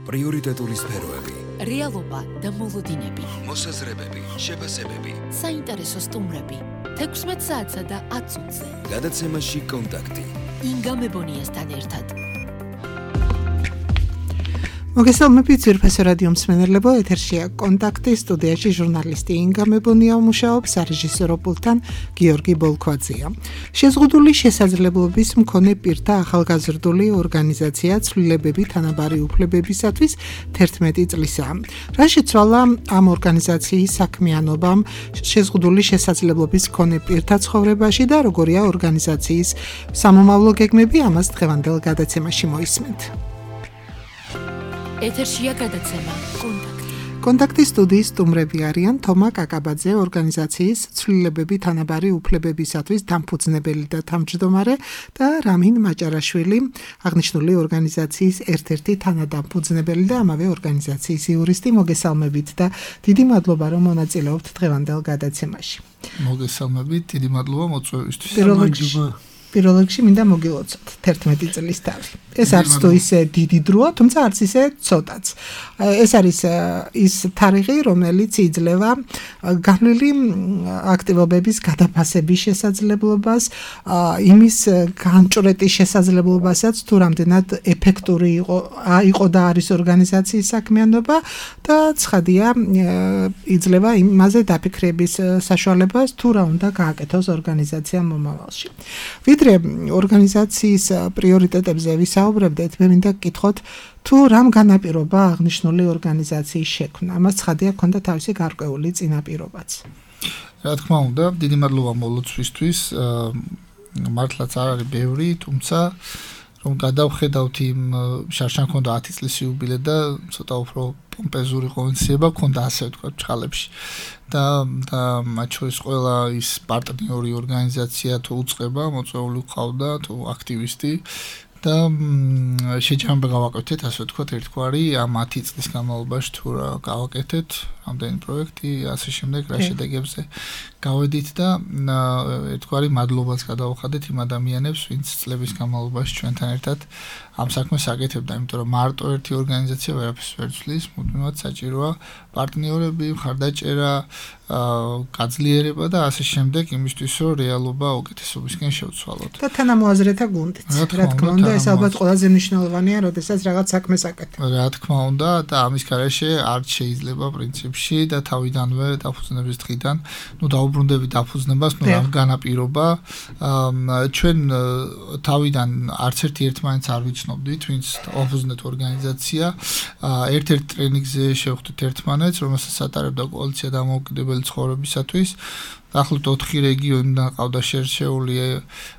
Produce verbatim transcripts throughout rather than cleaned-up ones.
პრიორიტეტული სფეროები, რეალობა და მოლოდინები, მოსაზრებები, შეფასებები, საინტერესო სტუმრები, თექვსმეტ საათსა და ათ წუთზე. გადაცემაში კონტაქტი. ინგა მებონიასთან ერთად. მოგესალმებით ძვირფასო რადიო მსმენელებო, ეთერშია კონტაქტი, სტუდიაში ჟურნალისტი ინგა მებონია მუშაობს, სარეჟისორო პულტთან გიორგი ბოლქვაძეა. შეზღუდული შესაძლებლობის მქონე პირთა ახალგაზრდული ორგანიზაცია ცვლილებები თანაბარი უფლებებისათვის თერთმეტი წლისაა. რა შეცვალა ამ ორგანიზაციის საქმიანობამ შეზღუდული შესაძლებლობის მქონე პირთა ცხოვრებაში და როგორია ორგანიზაციის სამომავლო გეგმები, ამას დღევანდელ გადაცემაში მოისმენთ. ეთერშია გადაცემა კონტაქტი. კონტაქტის სტუდიის სტუმრები არიან თომა კაკაბაძე, ორგანიზაციის ცვლილებები თანაბარი უფლებებისათვის დამფუძნებელი და თავმჯდომარე და რამინ მაჭარაშვილი, აღნიშნული ორგანიზაციის ერთ-ერთი თანადამფუძნებელი და ამავე ორგანიზაციის იურისტი. მოგესალმებით და დიდი მადლობა, რომ მონაწილეობთ დღევანდელ გადაცემაში. მოგესალმებით, დიდი მადლობა მოწვევისთვის. პირველ რიგში მინდა მოგილოცოთ თერთმეტი წლის თავი. ეს არც თუ ისე დიდი დროა, თუმცა არც ისე ცოტაც. ეს არის ის თარიღი, რომელიც იძლევა განვლილი აქტივობების გადაფასების შესაძლებლობას, იმის განჭვრეტის შესაძლებლობასაც, თუ რამდენად ეფექტური იყო იყო და არის ორგანიზაციის საქმიანობა და ცხადია იძლევა იმაზე დაფიქრების საშუალებას, თუ რა უნდა გააკეთოს ორგანიზაცია მომავალში. ვიდრე ორგანიზაციის პრიორიტეტებზე ვისაუბრებდეთ, მე მინდა გკითხოთ, თუ რამ განაპირობა აღნიშნული ორგანიზაციის შექმნა. ამას ცხადია ქონდა თავისი გარკვეული წინაპირობაც. რა თქმა უნდა, დიდი მადლობა მოლოცვისთვის. მართლაც არ არის ბევრი, თუმცა რომ გადავხედავთ იმ შარშან ქონდა ათი წლის იუბილე და ცოტა უფრო პომპეზური ღონისძიება ქონდა, ასე ვთქვათ, ჩხალებში. და და მათ შორის ყველა ის პარტნიორი ორგანიზაცია თუ უწყება, მოწვეული ყავდა, თუ აქტივისტი და შეჯამება გავაკეთეთ, ასე ვთქვათ, ერთგვარი ამ ათი წლის განმავლობაში თუ რა გავაკეთეთ, რამდენი პროექტი, ასე შემდეგ, რა შედეგებზე გავედით და ერთგვარი მადლობას გადავხადეთ იმ ადამიანებს, ვინც წლების განმავლობაში ჩვენთან ერთად ამ საქმეს აკეთებდა, იმიტომ რომ მარტო ერთი ორგანიზაცია ვერაფერს ვერ ცვლის, მუდმივად საჭიროა პარტნიორები, მხარდაჭერა, გაძლიერება და ასე შემდეგ, იმისთვის რომ რეალობა უკეთესობისკენ შევცვალოთ. და თანამოაზრეთა გუნდიც. რა თქმა უნდა, ეს ალბათ ყველაზე მნიშვნელოვანია, როდესაც რაღაც საქმეს აკეთებ. რა თქმა უნდა, და ამის გარეშე არ შეიძლება პრინციპში და თავიდანვე დაფუძნების დღიდან, ნუ დაუბრუნდებით დაფუძნებას, ნუ რა განაპირობა. ჩვენ თავიდან არც ერთი ერთმანეთს არ ვიცნობდით, ვინც დაფუძნეთ ორგანიზაცია. ერთ-ერთ ტრენინგზე შევხვდით ერთმანეთს, რომელსაც ატარებდა კოალიცია დამოუკიდებელი ცხოვრებისათვის. ახლოთ ოთხი რეგიონიდან ყავდა შერჩეული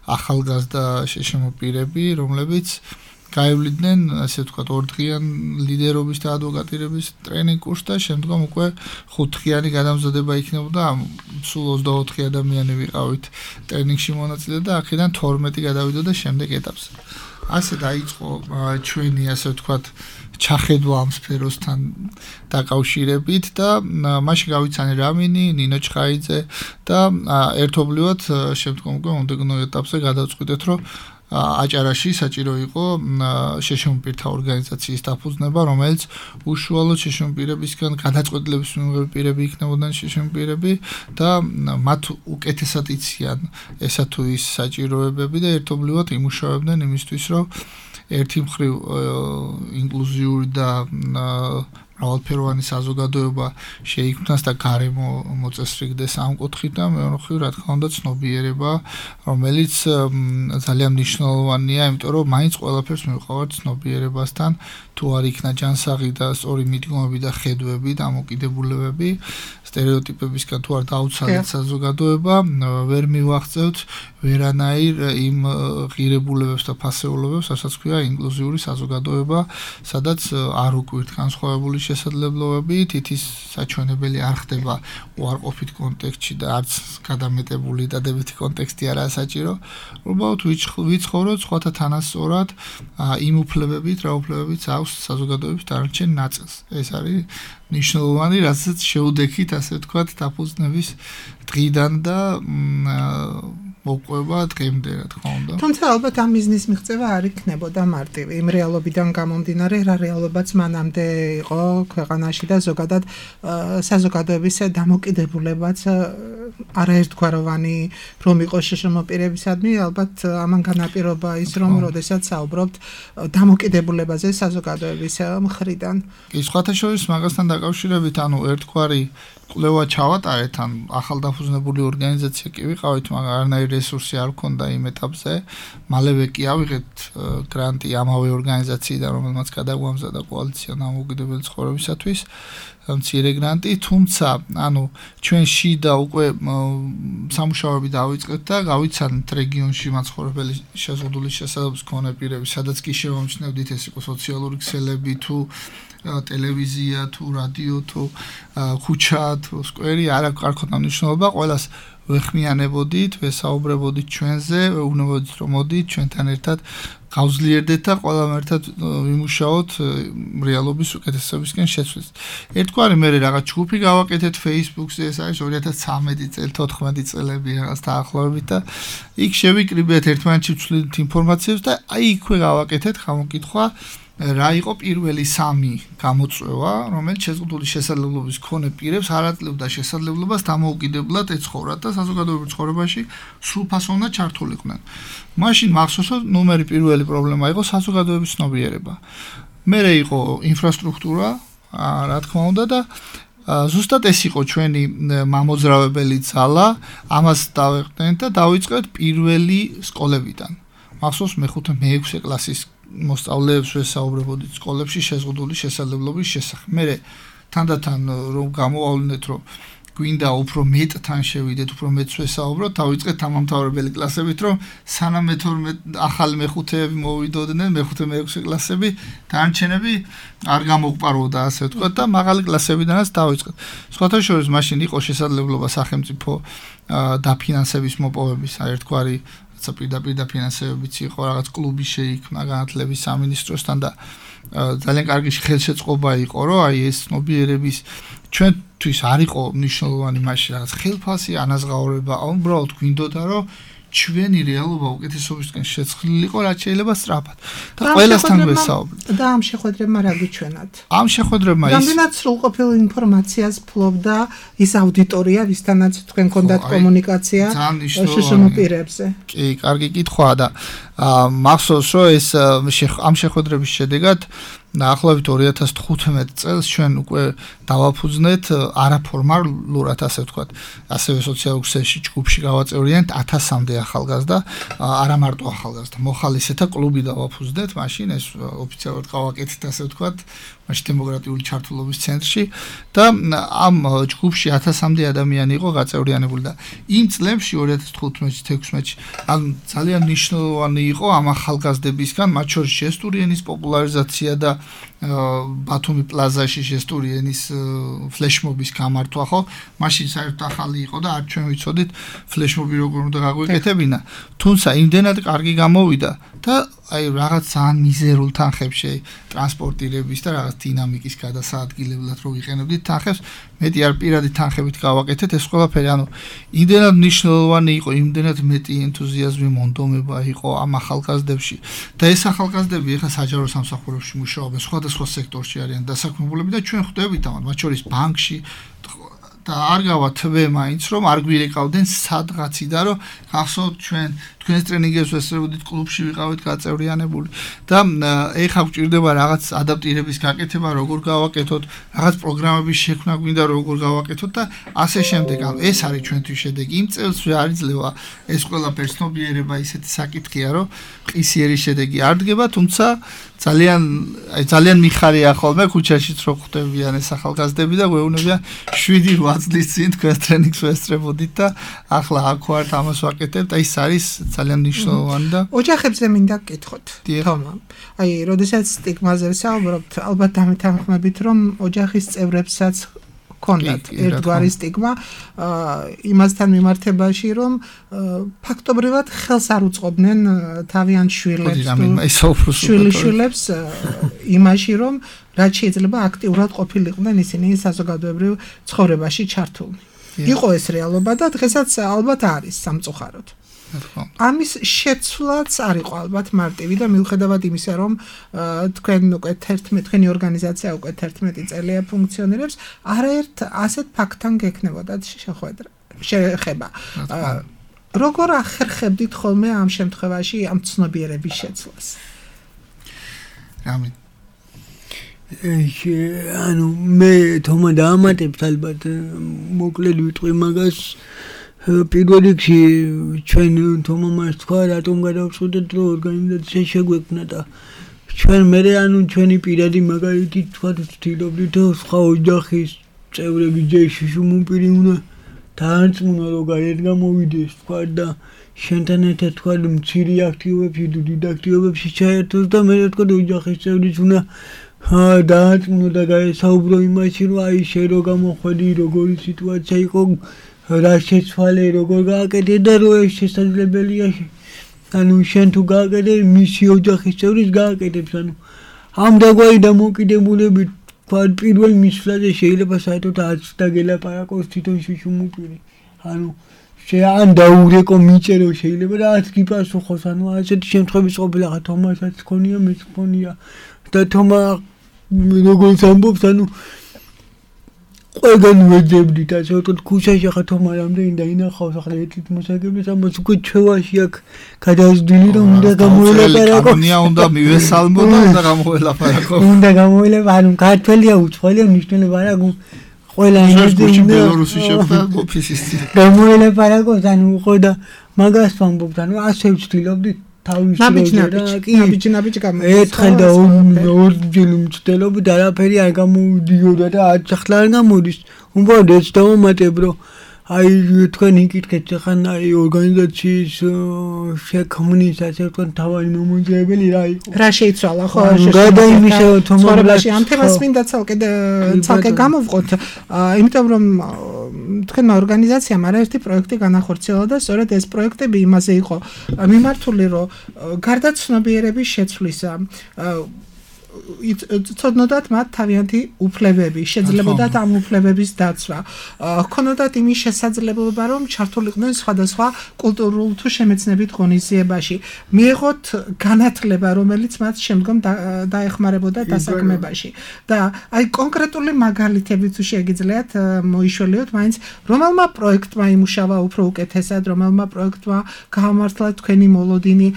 ახალგაზრდა შეშემო პირები, რომლებიც გაივლიდნენ, ასე ვთქვათ, ორდღიან ლიდერობის და ადვოკატირების ტრენინგ კურსს და შემდგომ უკვე ხუთდღიანი გადამზადება იქნებოდა. სულ ოცდაოთხი ადამიანი ვიყავით ტრენინგში მონაწილე და აქედან თორმეტი გადავიდოდა შემდეგ ეტაპზე. ასე დაიწყო ჩვენი, ასე ვთქვათ, ჩახედვა ამ სფეროსთან დაკავშირებით და მაშინ გავიცანე რამინი, ნინო ჩხაიძე და ერთობლივად შემდგომ უკვე მომდევნო ეტაპზე გადავწყვიტეთ, რომ აჭარაში საჭირო იყო შეშემო პირთა ორგანიზაციის დაფუძნება, რომელიც უშუალოდ შეშემო პირებისგან გადაწყვეტილების მიღები პირები იქნებოდნენ შეშემო პირები და მათ უკეთესად იციან ესა თუ ის საჭიროებები და ერთობლივად იმუშავებდნენ იმისთვის, რომ ერთი მხრივ ინკლუზიური და მრავალფეროვანი საზოგადოება შეიქმნას და გარემო მოწესრიგდეს ამ კუთხით და მეორე მხრივ, რა თქმა უნდა, ცნობიერება, რომელიც ძალიან მნიშვნელოვანია, იმიტომ რომ მაინც ყველაფერს მივყავართ ცნობიერებასთან, თუ არ იქნა ჯანსაღი და სწორი მიდგომები და ხედვები, დამოკიდებულებები, სტერეოტიპებისგან თუ არ დაუცალეთ საზოგადოება, ვერ მივაღწევთ ვერანაირ იმ ღირებულებებს და ფასეულობებს, რასაც ქვია ინკლუზიური საზოგადოება, სადაც არ უკვირთ განსხვავებული შესაძლებლობები, თითის საჩვენებელი არ ხდება უარყოფით კონტექსტში და არც გადამეტებული დადებითი კონტექსტი არაა საჭირო. უბრალოდ ვიცხოვროთ სხვათა თანასწორად იმ უფლებებით, რა უფლებებიც აქვს საზოგადოების დანარჩენ ნაწილს. ეს არის ნიშნულოვანი, რასაც შეუდექით, ასე ვთქვათ, დაფუძნების დღიდან და მოპყვება დღემდე რა თქმა უნდა. თუმცა ალბათ ამ ბიზნეს მიღწევა არ იქნებოდა მარტივი. იმ რეალობიდან გამომდინარე, რა რეალობაც მანამდე იყო ქვეყანაში და ზოგადად საზოგადოების დამოკიდებულებაც არაერთგვაროვანი რომ იყოს შშმ პირებისადმი, ალბათ ამან განაპირობა ის რომ როდესაც საუბრობთ დამოკიდებულებაზე საზოგადოების მხრიდან. კი, სხვათა შორის მაგასთან დაკავშირებით, ანუ ერთგვარი კვლევა ჩავატარეთ, ან ახალდაფუძნებული ორგანიზაცია კი ვიყავით, მაგრამ არანაირი რესურსი არ ჰქონდა იმ ეტაპზე. მალევე კი ავიღეთ გრანტი ამავე ორგანიზაციიდან, რომელმაც გადაგვამზადა კოალიცია დამოუკიდებელი ცხოვრებისათვის, მცირე გრანტი, თუმცა, ანუ ჩვენ შიდა უკვე სამუშაოები დავიწყეთ და გავიცანით რეგიონში მაცხოვრებელი შეზღუდული შესაძლებლობის მქონე პირები, სადაც კი შევამჩნევდით, ეს იყო სოციალური ქსელები თუ ტელევიზია თუ რადიო თუ ქუჩა თუ სკვერი, არ აქვს მნიშვნელობა, ყველას ვეხმიანებოდით, ვესაუბრებოდით ჩვენზე, ვეუბნებოდით რომ მოდით ჩვენთან ერთად გავძლიერდეთ და ყველამ ერთად ვიმუშაოთ რეალობის უკეთესობისკენ შეცვლით. ერთგვარი მე რაღაც ჯგუფი გავაკეთეთ Facebook-ზე, ეს არის ორი ათას ცხრამეტი წელი, თოთხმეტი წელები რაღაც დაახლოებით და იქ შევიკრიბეთ ერთმანეთში ვცვლით ინფორმაციას და აი იქვე გავაკეთეთ გამოკითხვა რა იყო პირველი სამი გამოწვევა, რომელიც შეზღუდული შესაძლებლობის მქონე პირებს არ აძლევდა შესაძლებლობას დამოუკიდებლად ეცხოვრათ და საზოგადოებრივ ცხოვრებაში სრულფასოვნად ჩართულიყვნენ. მაშინ მახსოვსო ნომერი პირველი პრობლემა იყო საზოგადოების ცნობიერება. მერე იყო ინფრასტრუქტურა, რა თქმა უნდა და ზუსტად ეს იყო ჩვენი მამოძრავებელი ძალა, ამას დავეყრდნით და დავიწყეთ პირველი სკოლებიდან. მახსოვს მეხუთე მეექვსე კლასის მოსწავლეებს ვესაუბრებოდით სკოლებში შეზღუდული შესაძლებლობის შესახებ. მე თანდათან რომ გამოვავლინეთ, რომ გვინდა უფრო მეტთან შევიდეთ, უფრო მეტს ვესაუბროთ, დავიწყეთ თამამთავრებელი კლასებით, რომ სანამ მეთორმეტე ახალი მეხუთეები მოვიდოდნენ, მეხუთე მეექვსე კლასები, დანარჩენები არ გამოგვპარვოდა, ასე ვთქვათ და მაღალი კლასებიდანაც დავიწყეთ. სხვათა შორის მაშინ იყო შესაძლებლობა სახელმწიფო დაფინანსების მოპოვების, ერთგვარი პირდაპირ დაფინანსებებიც იყო, რაღაც კლუბი შეიქმნა განათლების სამინისტროსთან და ძალიან კარგი ხელშეწყობა იყო, რომ აი ეს ცნობიერების ჩვენთვის არ იყო მნიშვნელოვანი მაშინ რაღაც ხელფასი, ანაზღაურება, უბრალოდ გვინდოდა, რომ ჩვენი რეალობა უკეთესობისკენ შეცვლილიყო, რაც შეიძლება სწრაფად. და ყველასთან ვესაუბრეთ. და ამ შეხვედრებმა რა გიჩვენათ? ამ შეხვედრებმა ის რამდენად სრულყოფილ ინფორმაციას ფლობდა ის აუდიტორია, ვისთანაც თქვენ გქონდათ კომუნიკაცია შშმ პირებზე? კი, კარგი კითხვაა და მახსოვს, რომ ეს ამ შეხვედრების შედეგად დაახლოებით ორი ათას თხუთმეტ წელს ჩვენ უკვე დავაფუძნეთ არაფორმალურად, ასე ვთქვათ, ასევე სოციალურ ქსელში ჯგუფში გავაწევრიანეთ ათასამდე ახალგაზრდა, არა მარტო ახალგაზრდა, მოხალისეთა კლუბი დავაფუძნეთ, მაშინ ეს ოფიციალურად გავაკეთეთ, ასე ვთქვათ, მაშინ დემოკრატიული ჩართულობის ცენტრში და ამ ჯგუფში ათასამდე ადამიანი იყო გაწევრიანებული და იმ წლებში ორი ათას თხუთმეტში თექვსმეტში ან ძალიან მნიშვნელოვანი იყო ამ ახალგაზრდებისგან, მათ შორის ჟესტურიენის პოპულარიზაცია და ბათუმი პლაზაში ჟესტურიენის ფლეშმობის გამართვა, ხო? მაშინ საერთოდ ახალი იყო და არ ჩვენ ვიცოდით ფლეშმობი როგორ უნდა გაგვეკეთებინა. თუმცა იმდენად კარგი გამოვიდა და აი რაღაც ძალიან მიზერულ თანხებში ტრანსპორტირების და რაღაც დინამიკის გადასაადგილებლად რო ვიყენებდით თანხებს, მეტი არ პირადი თანხებით გავაკეთეთ ეს ყველაფერი, ანუ იმდენად მნიშვნელოვანი იყო, იმდენად მეტი ენთუზიაზმი, მონდომება იყო ამ ახალგაზრდებში და ეს ახალგაზრდები ეხლა საჯარო სამსახურებში მუშაობენ, სხვადასხვა სექტორში არიან დასაქმებულები და ჩვენ ხვდებით ამათ, მათ შორის ბანკში და არ გავა თვე მაინც რომ არ გვირეკავდნენ სადღაციდან რომ გახსოვთ ჩვენ თქვენს ტრენინგებს ვესწრებოდით კლუბში ვიყავით გაწევრიანებული და ეხლა გვჭირდება რაღაც ადაპტირების გაკეთება როგორ გავაკეთოთ რაღაც პროგრამების შექმნა გვინდა როგორ გავაკეთოთ და ასე შემდეგ ანუ ეს არის ჩვენთვის შედეგი იმ წელს არ იძლევა ეს ყველაფერი ცნობიერება ისეთი საკითხია რომ ყისიერი შედეგი არ დგება თუმცა ძალიან აი ძალიან მიხარია ხოლმე ქუჩაშიც რო ხვდებიან ეს ახალგაზრდები და გვეუბნებიან შვიდი რვა წლის წინ თქვენ ტრენინგს ვესწრებოდით და ახლა აქ ვართ ამას ვაკეთებთ და ის არის ძალიან მნიშვნელოვანი და ოჯახებზე მინდა გკითხოთ თომა აი როდესაც სტიგმაზე ვსაუბრობთ ალბათ დამეთანხმებით რომ ოჯახის წევრებსაც კონდათ ერთგვარი სტიგმა იმასთან მიმართებაში რომ ფაქტობრივად ხელს არ უწყობდნენ თავიანთ შვილებს შვილიშვილებს იმაში რომ რაც შეიძლება აქტიურად ყოფილიყვნენ ისინი საზოგადოებრივ ცხოვრებაში ჩართულნი იყო ეს რეალობა და დღესაც ალბათ არის სამწუხაროდ ამის შეცვლაც არ იყო ალბათ მარტივი და მიუხედავად იმისა, რომ თქვენ უკვე თერთმეტი თქვენი ორგანიზაცია უკვე თერთმეტი წელია ფუნქციონირებს, არაერთ ასეთ ფაქტთან გექნებოდათ შეხვედრა, შეხება. როგორ ახერხებდით ხოლმე ამ შემთხვევაში ამ ცნობიერების შეცვლას? რამე ანუ მე თომა დაამატებთ ალბათ მოკლედ ვიტყვი მაგას პირველ რიგში ჩვენ თომა მას თქვა რატომ გადავწყვეტეთ რომ ორგანიზაცია შეგვექმნა და ჩვენ მე ანუ ჩვენი პირადი მაგალითი თქვა ვთილობდით რომ სხვა ოჯახის წევრები ჯეში შუმუპირი უნდა დაარწმუნა რომ გარეთ გამოვიდეს თქვა და შენთან ერთად თქვა მცირე აქტივობებში დიდ აქტივობებში ჩაერთოს და მე თქვა ოჯახის წევრიც უნდა დაარწმუნო და გაესაუბრო იმაში რომ აი შე რო გამოხვედი როგორი სიტუაცია იყო რა შეცვალე როგორ გააკეთე და რო ეს შესაძლებელია ანუ შენ თუ გააკეთე მისი ოჯახის წევრის გააკეთებს ანუ ამ დაგვარი დამოკიდებულებით თქვა პირველ მისვლაზე შეიძლება საერთოდ არც დაგელაპარაკოს თვითონ შუშუმუპირი ანუ ან დაურეკო მიჭერო შეიძლება და არც გიპასუხოს ანუ ასეთი შემთხვევები ყოფილა ხა თომასაც ქონია მეც ქონია და თომა როგორც ამბობს ანუ ყველგან ვეძებდით ასე ვთქვათ ქუჩაში ხა თომა რამდენი და ინახავს ახლა ერთით მოსაგებლის ამას უკვე ჩვევაში აქ გადავსდილი რომ უნდა გამოელაპარაკო კანონია უნდა მივესალმო და უნდა გამოელაპარაკო უნდა გამოელაპარაკო ანუ ქართველია უცხოელია მნიშვნელობა არა ყველა ენაზე უნდა ბელორუსი შეფთა ოფისის გამოელაპარაკოს ანუ ხო და მაგას ვამბობთ ანუ ასე ვცდილობდით თავის ნაბიჯ-ნაბიჯ გამოვიდა. ერთხელ და ორჯერ მცდელობ და არაფერი არ გამოდიოდა და ახლა არ გამოდის. უბრალოდ ეს დავამატებ რომ აი თქვენ იკითხეთ ხან აი ორგანიზაციის შექმნის ასე თქვენ თავი მომოძიებელი რა იყო? რა შეიცვალა ხო? გადაიმისა თომობლაში ამ თემას მინდა ცალკე ცალკე გამოვყოთ. იმიტომ რომ თქვენმა ორგანიზაციამ არაერთი პროექტი განახორციელა და სწორედ ეს პროექტები იმაზე იყო მიმართული რომ გარდა ცნობიერების შეცვლისა ცოდნოდათ მათ თავიანთი უფლებები, შეძლებოდათ ამ უფლებების დაცვა. ჰქონოდათ იმის შესაძლებლობა, რომ ჩართულიყვნენ სხვადასხვა კულტურულ თუ შემეცნებით ღონისძიებაში. მიეღოთ განათლება, რომელიც მათ შემდგომ დაეხმარებოდა დასაქმებაში. და აი კონკრეტული მაგალითები თუ შეგიძლიათ მოიშველიოთ, მაინც რომელმა პროექტმა იმუშავა უფრო უკეთესად, რომელმა პროექტმა გაამართლა თქვენი მოლოდინი,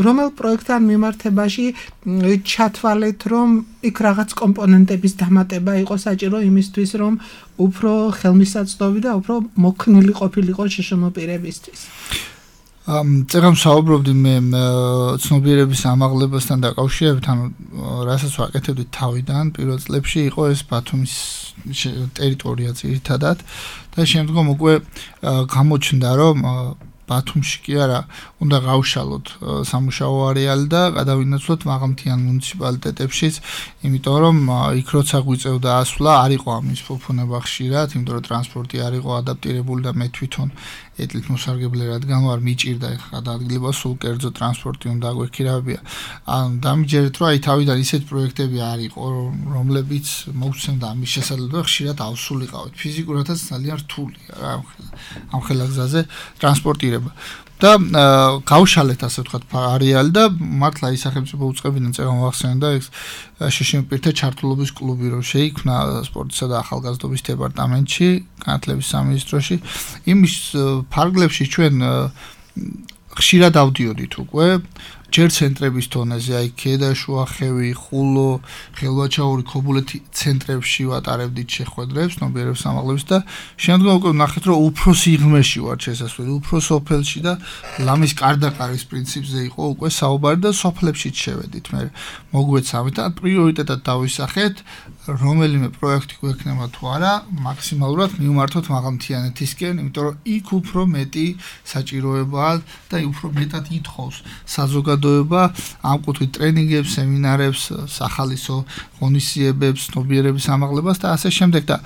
რომელ პროექტთან მიმართებაში ჩათვალეთ რომ იქ რაღაც კომპონენტების დამატება იყო საჭირო იმისთვის რომ უფრო ხელმისაწვდომი და უფრო მოქნილი ყოფილიყო შეშმოპირებისთვის. ამ წერამ საუბრობდი მე ცნობიერების ამაღლებასთან დაკავშირებით, ანუ რასაც ვაკეთებდი თავიდან პირველ წლებში იყო ეს ბათუმის ტერიტორია ძირითადად და შემდგომ უკვე გამოჩნდა რომ ბათუმში კი არა უნდა გავშალოთ სამუშაო არეალი და გადავინაცვლოთ მაღალმთიან მუნიციპალიტეტებში, იმიტომ რომ იქ როცა გვიწევდა ასვლა არ იყო ამის ფუფუნება ხშირად, იმიტომ რომ ტრანსპორტი არ იყო ადაპტირებული და მე თვითონ ეთლით მოსარგებლე რადგან ვარ მიჭირდა ხა ადგილება სულ კერძო ტრანსპორტი უნდა გვექირავია. ან დამიჯერეთ რომ აი თავიდან ისეთ პროექტები არ იყო რომლებიც მოგცემდა ამის შესაძლებლობა ხშირად ავსულიყავით. ფიზიკურადაც ძალიან რთულია რა ამ ხელაგზაზე ტრანსპორტირება. და გავშალეთ ასე ვთქვათ არეალი და მართლა ის სახელმწიფო უწყებიდან წერა მოახსენდა ეს შეშმოპირთა ჩართულობის კლუბი რომ შეიქმნა სპორტისა და ახალგაზრდობის დეპარტამენტში განათლების სამინისტროში იმის ფარგლებში ჩვენ ხშირად ავდიოდით უკვე ჯერ ცენტრების თონეზე აი ქედაშუა ხევი ხულო ხელვაჩაური ქობულეთი ცენტრებში ვატარებდით შეხვედრებს ცნობიერების ამაღლების და შემდგომ უკვე ნახეთ რომ უფრო სიღრმეში ვარ შესასვლელი უფრო სოფელში და ლამის კარდაყარის პრინციპზე იყო უკვე საუბარი და სოფლებშიც შევედით მე მოგვეცამით და პრიორიტეტად დავისახეთ რომელიმე პროექტი გვექნება თუ არა მაქსიმალურად მივმართოთ მაღალმთიანეთისკენ იმიტომ რომ იქ უფრო მეტი საჭიროებაა და უფრო მეტად ითხოვს საზოგადოება ამ კუთხით ტრენინგებს, სემინარებს, სახალისო ღონისძიებებს, ცნობიერების ამაღლებას და ასე შემდეგ და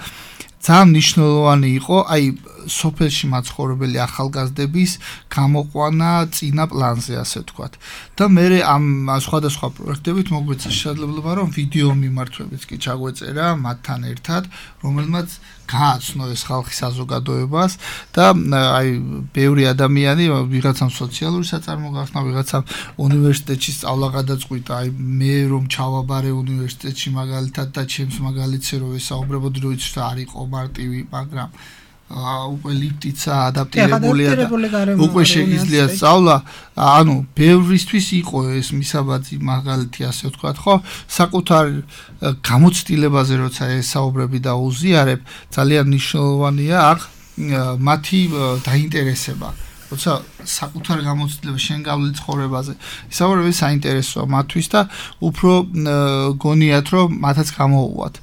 ძალიან მნიშვნელოვანი იყო აი სოფელში მაცხოვრებელი ახალგაზრდების გამოყვანა წინა პლანზე, ასე ვთქვათ. და მე ამ სხვადასხვა პროექტებით მოგვეცა შესაძლებლობა, რომ ვიდეო მიმართვებიც კი ჩაგვეწერა მათთან ერთად, რომელმაც გააცნო ეს ხალხის საზოგადოებას და აი ბევრი ადამიანი ვიღაცამ სოციალური საწარმო გახსნა, ვიღაცამ უნივერსიტეტში სწავლა გადაწყვიტა, აი მე რომ ჩავაბარე უნივერსიტეტში მაგალითად და ჩემს მაგალითზე რომ ვესაუბრებოდი, რომ იცი რა არ იყო მარტივი, მაგრამ უკვე ლიფტიცა ადაპტირებულია და უკვე შეგიძლია სწავლა, ანუ ბევრისთვის იყო ეს მისაბაძი მაგალითი, ასე ვთქვათ, ხო? საკუთარ გამოცდილებაზე როცა ესაუბრები და უზიარებ, ძალიან მნიშვნელოვანია აქ მათი დაინტერესება. როცა საკუთარ გამოცდილება შენ გავლილი ცხოვრებაზე, ისაუბრები საინტერესოა მათთვის და უფრო გონიათ, რომ მათაც გამოუვათ.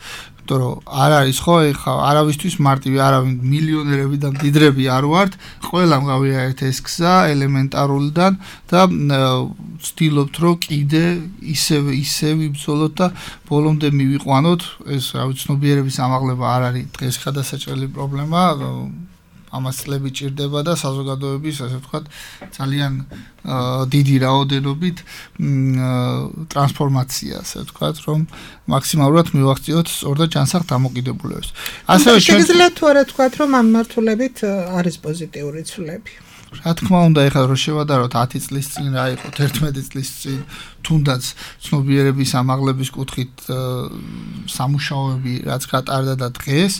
რომ არ არის ხო ეხა არავისთვის მარტივი არავინ მილიონერები და მდიდრები არ ვართ, ყველამ გავიარეთ ეს გზა ელემენტარულიდან და ვცდილობთ რომ კიდე ისევ ისევ იბრძოლოთ და ბოლომდე მივიყვანოთ. ეს რა ვიცი ცნობიერების ამაღლება არ არის დღეს ხადასაჭრელი პრობლემა, ამას წლები ჭირდება და საზოგადოების ასე ვთქვათ ძალიან დიდი რაოდენობით ტრანსფორმაცია, ასე ვთქვათ, რომ მაქსიმალურად მივახციოთ სწორ და ჯანსაღ დამოკიდებულებას. ასევე შეგიძლიათ თუ არა ვთქვათ, რომ ამ მართულებით არის პოზიტიური ცვლილები. რა თქმა უნდა, ეხლა რომ შევადაროთ ათი წლის წინ რა იყო, თერთმეტი წლის წინ, თუნდაც ცნობიერების ამაღლების კუთხით სამუშაოები რაც გატარდა და დღეს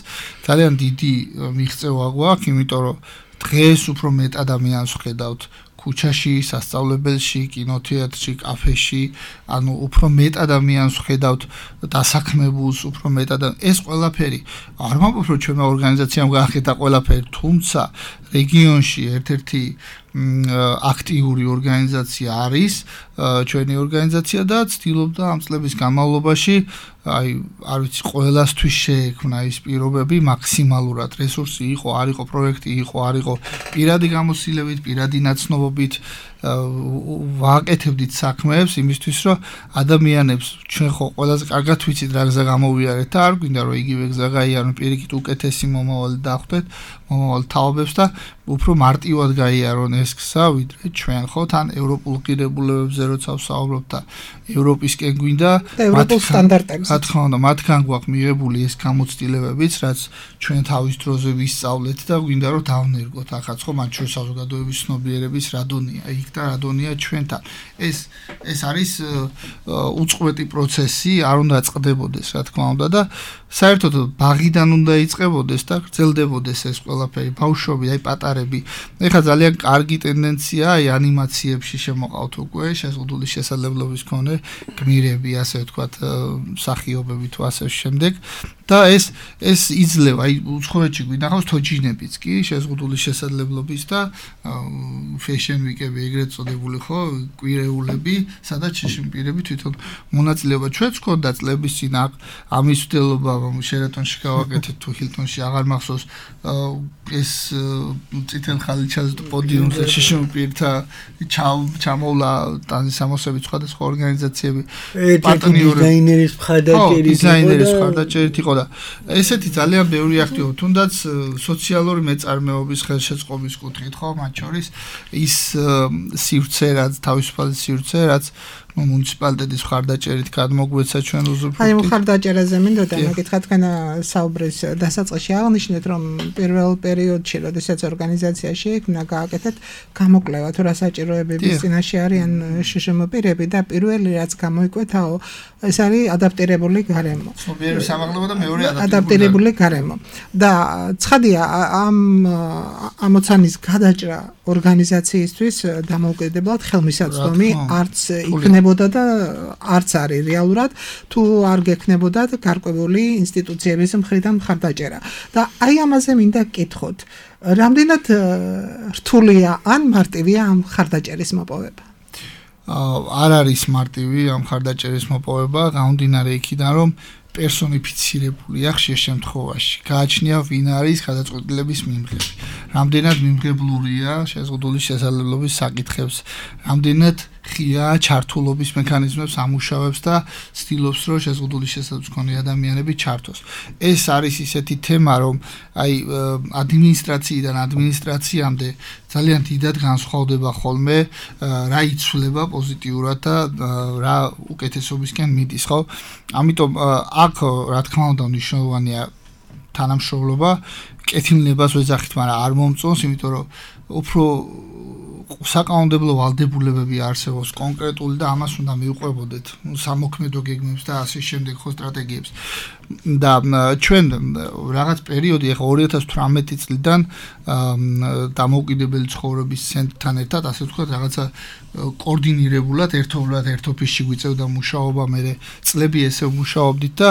ძალიან დიდი მიღწევა გვაქვს, იმიტომ რომ დღეს უფრო მეტ ადამიანს ვხედავთ ქუჩაში, სასწავლებელში, კინოთეატრში, კაფეში, ანუ უფრო მეტ ადამიანს ვხედავთ დასაქმებულს, უფრო მეტ ადამიანს. ეს ყველაფერი არ ვამბობ, რომ ჩვენმა ორგანიზაციამ გაახეთა ყველაფერი, თუმცა რეგიონში ერთ-ერთი აქტიური ორგანიზაცია არის ჩვენი ორგანიზაცია და ცდილობდა ამ წლების განმავლობაში აი არ ვიცი ყველასთვის შეექმნა ის პირობები მაქსიმალურად რესურსი იყო, არ იყო პროექტი, იყო, არ იყო პირადი გამოცდილებით, პირადი ნაცნობობით ვაკეთებდით საქმეებს იმისთვის, რომ ადამიანებს ჩვენ ხო ყველაზე კარგად ვიცით რა გზა გამოვიარეთ და არ გვინდა რომ იგივე გზა გაიარონ, პირიქით უკეთესი მომავალი დახვდეთ, მომავალ თაობებს და უფრო მარტივად გაიარონ ეს გზა, ვიდრე ჩვენ ხო თან ევროპულ ღირებულებებზე როცა ვსაუბრობ და ევროპისკენ გვინდა ევროპულ სტანდარტებზე. რა თქმა უნდა, მათგან გვაქვს მიღებული ეს გამოცდილებებიც, რაც ჩვენ თავის დროზე ვისწავლეთ და გვინდა რომ დავნერგოთ. ახაც ხო მათ შორის საზოგადოების ცნობიერების რადონია, იქ და რადონია ჩვენთან. ეს ეს არის უწყვეტი პროცესი, არ უნდა წყდებოდეს, რა თქმა უნდა და საერთოდ ბაღიდან უნდა იწყებოდეს და გრძელდებოდეს ეს ყველაფერი. ბავშვები, აი პატარები. ეხლა ძალიან კარგი ტენდენცია აი ანიმაციებში შემოყავთ უკვე შეზღუდული შესაძლებლობის მქონე გმირები, ასე ვთქვათ, მსახიობები თუ ასე შემდეგ. და ეს ეს იძლევა, აი უცხოეთში გვინახავს თოჯინებიც კი შეზღუდული შესაძლებლობის და fashion week-ები ეგრეთ წოდებული ხო, კვირეულები, სადაც შეშიმპირები თვითონ მონაწილეობა. ჩვენც გქონდა წლების წინ ამის ვდელობა შერატონში გავაკეთეთ თუ ჰილტონში აღარ მახსოვს ეს წითელ ხალიჩაზე პოდიუმზე შეშიმპირთა ჩამოვლა ტანზის ამოსებით სხვადასხვა ორგანიზაციები პარტნიორები დიზაინერის მხარდაჭერით დიზაინერის მხარდაჭერით იყო და ესეთი ძალიან ბევრი აქტივობა, თუნდაც სოციალური მეწარმეობის ხელშეწყობის კუთხით ხო, მათ შორის ის სივრცე, რაც თავისუფალი სივრცე, რაც მუნიციპალიტეტის მხარდაჭერით გადმოგვეცა ჩვენ უზრუნველყოფით. აი მხარდაჭერაზე მინდოდა მეკითხა, თქვენ საუბრის დასაწყისში აღნიშნეთ, რომ პირველ პერიოდში, როდესაც ორგანიზაცია შეიქმნა, გააკეთეთ გამოკვლევა, თუ რა საჭიროებების წინაშე არიან შშმ-პირები და პირველი რაც გამოიკვეთაო, ეს არის ადაპტირებული გარემო. სუბიექტის სამაღლება და მეორე ადაპტირებული გარემო. და ცხადია ამ ამოცანის გადაჭრა ორგანიზაციისთვის დამოუკიდებლად ხელმისაწვდომი არც იქნებოდა და არც არის რეალურად თუ არ გექნებოდა გარკვეული ინსტიტუციების მხრიდან მხარდაჭერა. და აი ამაზე მინდა გკითხოთ, რამდენად რთულია ან მარტივია ამ მხარდაჭერის მოპოვება? არ არის მარტივი ამ მხარდაჭერის მოპოვება, გამომდინარე იქიდან, რომ პერსონიფიცირებულია ხშირ შემთხვევაში. გააჩნია ვინ არის გადაწყვეტილების მიმღები. რამდენად მიმღებლურია შეზღუდული შესაძლებლობის საკითხებს, რამდენად ღია ჩართულობის მექანიზმებს ამუშავებს და ცდილობს რომ შეზღუდული შესაძლებლობის მქონე ადამიანები ჩართოს. ეს არის ისეთი თემა რომ აი ადმინისტრაციიდან ადმინისტრაციამდე ძალიან დიდად განსხვავდება ხოლმე რა იცვლება პოზიტიურად და რა უკეთესობისკენ მიდის, ხო? ამიტომ აქ რა თქმა უნდა მნიშვნელოვანია თანამშრომლობა, კეთილნებას ვეძახით, მაგრამ არ მომწონს, იმიტომ რომ უფრო საკანონმდებლო ვალდებულებები არსებობს კონკრეტული და ამას უნდა მიუყვებოდეთ სამოქმედო გეგმებს და ასე შემდეგ ხო სტრატეგიებს. და ჩვენ რაღაც პერიოდი ახლა ორი ათას თვრამეტი წლიდან დამოუკიდებელი ცხოვრების ცენტრთან ერთად ასე ვთქვათ რაღაცა კოორდინირებულად ერთობლად ერთ ოფისში გვიწევდა მუშაობა, მე წლები ესე ვმუშაობდით და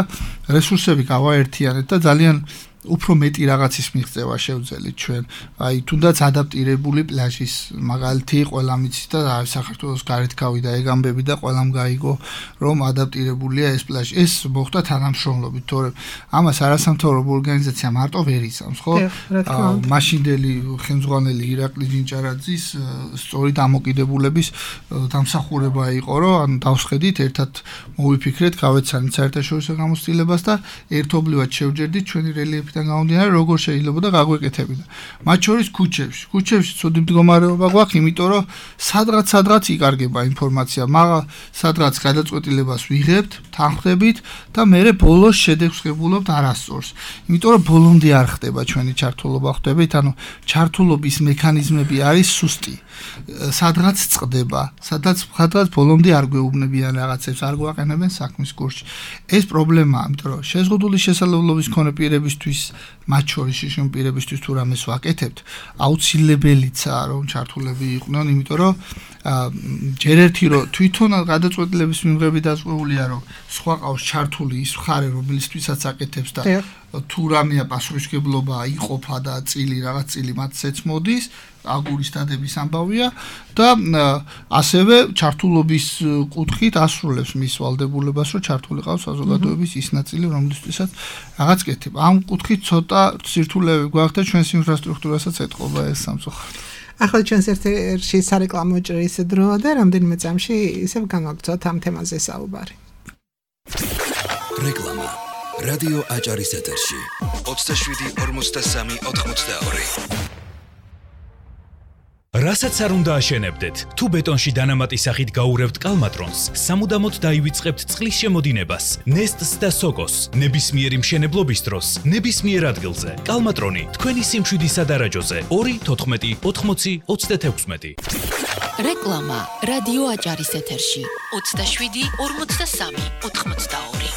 რესურსები გავაერთიანეთ და ძალიან უფრო მეტი რაღაცის მიღწევა შევძელით ჩვენ. აი თუნდაც ადაპტირებული პლაჟის მაგალითი ყველა მიცით და საქართველოს გარეთ გავიდა ეგ ამბები და ყველამ გაიგო რომ ადაპტირებულია ეს პლაჟი. ეს მოხდა თანამშრომლობით, თორემ ამას არასამთავრობო ორგანიზაცია მარტო ვერ იცავს, ხო? მაშინდელი ხელმძღვანელი ირაკლი ჯინჭარაძის სწორი დამოკიდებულების დამსახურება იყო, რომ ან დავსხედით, ერთად მოვიფიქრეთ, გავეცანით საერთაშორისო გამოცდილებას და ერთობლივად შევჯერდით ჩვენი რელიეფი გამომდინარე როგორ შეიძლება და გაგვეკეთებინა. მათ შორის ქუჩებში. ქუჩებში ცუდი მდგომარეობა გვაქვს, იმიტომ რომ სადღაც სადღაც იკარგება ინფორმაცია, მაგრამ სადღაც გადაწყვეტილებას ვიღებთ, თანხმდებით და მე ბოლოს შედეგს ვღებულობთ არასწორს. იმიტომ რომ ბოლომდე არ ხდება ჩვენი ჩართულობა, ხვდებით, ანუ ჩართულობის მექანიზმები არის სუსტი. სადღაც წყდება, სადღაც სადღაც ბოლომდე არ გვეუბნებიან რაღაცებს, არ გვაყენებენ საქმის კურსში. ეს პრობლემაა, იმიტომ რომ შეზღუდული შესაძლებლობის მქონე პირებისთვის მათ შორის შიშიმ პირებისთვის თუ რამეს ვაკეთებთ, აუცილებელიცაა რომ ჩართულები იყვნენ, იმიტომ რომ ჯერ ერთი რომ თვითონ გადაწყვეტილების მიღები დაწყვეტილია რომ სხვა ყავს ჩართული ის მხარე რომელიცთვისაც აკეთებს და თუ რამეა პასუხისმგებლობა იყოფა და წილი რაღაც წილი მათცეც მოდის აგურის დადების ამბავია და ასევე ჩართულობის კუთხით ასრულებს მის ვალდებულებას რომ ჩართული ყავს საზოგადოების ის ნაწილი რომელიცთვისაც რაღაც კეთება. ამ კუთხით ცოტა სირთულეები გვაქვს და ჩვენს ინფრასტრუქტურასაც ეთყობა ეს სამწუხაროდ. ახლა ჩვენს ერთ-ერთი სარეკლამო ჭრის დროა და რამდენიმე წამში ისევ განვაგრძოთ ამ თემაზე საუბარი. რეკლამა რადიო აჭარის ეთერში ოცდაშვიდი ორმოცდასამი ოთხმოცდაორი. რასაც არ უნდა აშენებდეთ, თუ ბეტონში დანამატის სახით გაურევთ კალმატრონს, სამუდამოდ დაივიწყებთ წყლის შემოდინებას, ნესტს და სოკოს, ნებისმიერი მშენებლობის დროს, ნებისმიერ ადგილზე. კალმატრონი თქვენი სიმშვიდის სადარაჯოზე ორი თოთხმეტი ოთხმოცი ოცდათექვსმეტი. რეკლამა რადიო აჭარის ეთერში ოცდაშვიდი ორმოცდასამი ოთხმოცდაორი.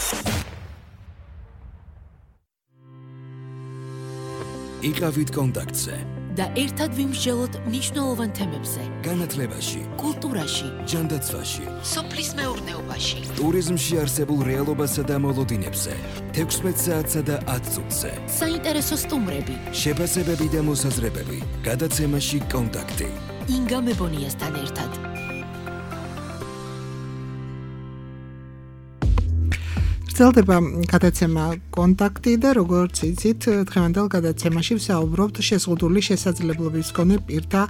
იყავით კონტაქტზე და ერთად ვიმსჯელოთ მნიშვნელოვან თემებზე. განათლებაში, კულტურაში, ჯანდაცვაში, სოფლის მეურნეობაში, ტურიზმში არსებულ რეალობასა და მოლოდინებზე, თექვსმეტ საათსა და ათ წუთზე. საინტერესო სტუმრები, შეფასებები და მოსაზრებები. გადაცემაში კონტაქტი. ინგა მებონიასთან ერთად. გრძელდება გადაცემა კონტაქტი და როგორც იცით, დღევანდელ გადაცემაში ვსაუბრობთ შეზღუდული შესაძლებლობის მქონე პირთა